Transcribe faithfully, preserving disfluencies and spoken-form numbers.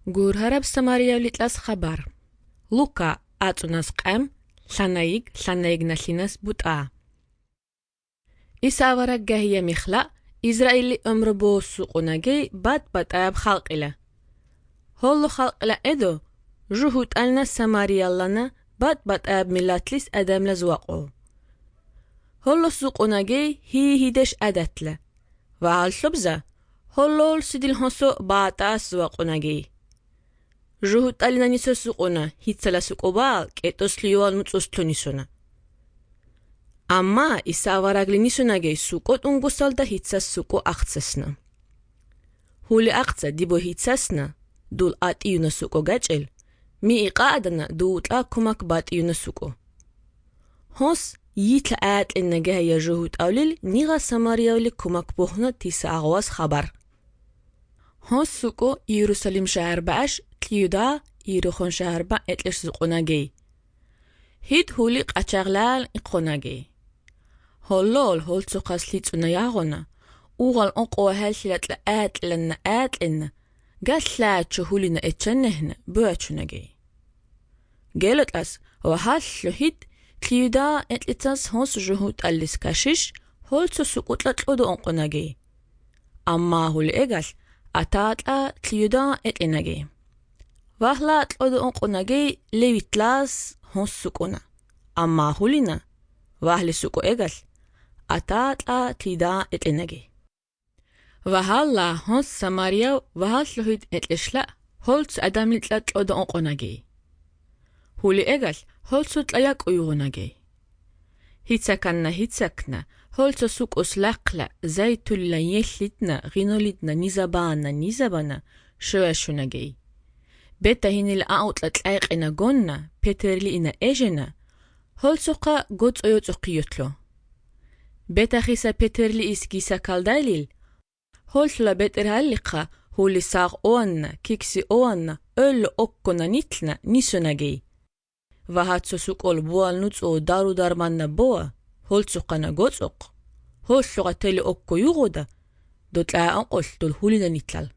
Гурҳараб Самариявлитлас хабар. Лука ацунас қам, ланаиг, ланаиг налинас бутаа. Иса аварак гахия михла, Израили умрбо суқунагей бад батаяб халқила. Холлу халқила эдо, жухут ална Самарияллана бад батаяб миллатлис адамла зуақо. Холлу суқунагей хи хидеш адатла. Ва алшубза, холлол сидил хонсо батаас зуақунагей. Жухут алина нисо суқуна, хитсала суқобал, кетос лиюал муцусту нисуна. Амма Иса аварагли нисунагей суқот унгусалда хитсас суқо ақцасна. Хули ақца дибо хитсасна, дул атиюна суқо гачел, ми иқаадана дуутла кумак батиюна суқо. Хос йитла аатлинна гахия жухут авлил, нига Самариявли кумак бухна тиса ағвас хабар. Хос суқо Иерусалим шахар бааш, тлиюда Иерихон шахар ба этлеш суқунагей. Хит хули қачағлал иқонагей. Холлол холцуқас лицуна яғона, уғал онқуа хәлшилатла аатланна аатлинна, галлаачу хулина этчаннехна буачунагей. Гелотлас вахаллу хит тлиюда этлицас хонс жухут аллис кашиш, холцу суқутлатлуду онқунагей. Амма хули эгал, атаатла тлиюда этлинагей. Вахла атлуду онқунагей левитлас хонс суқуна. Амма хулина, вахли суқу эгал, атаатла тлида этлинагей. Вахалла хонс Самарияв вахаллухид этлишла, холц адамлитлатлуду онқунагей. Хули эгал, холцу тлаяк уйгунагей. Хитсаканна хитсакна, холцу суқус лақла, зайтулла еллитна, гинолитна, низабаана, низабана, шуашунагей. Бета хинил аутла тлайқина гонна, петерли ина эжена, холцуқа гоц ойоцуқиютлу. Бета хиса петерли искиса калдайлил, холцула бетер халлиқа, хули сақ оанна, кикси оанна, өллü оккона нитлна, нисунагей. Вахатсу суқол буал нуцу дару дарманна боа, холцуқана гоцуқ, холцуға тели окко юғуда, дотлаа анқол дол хулина нитлал.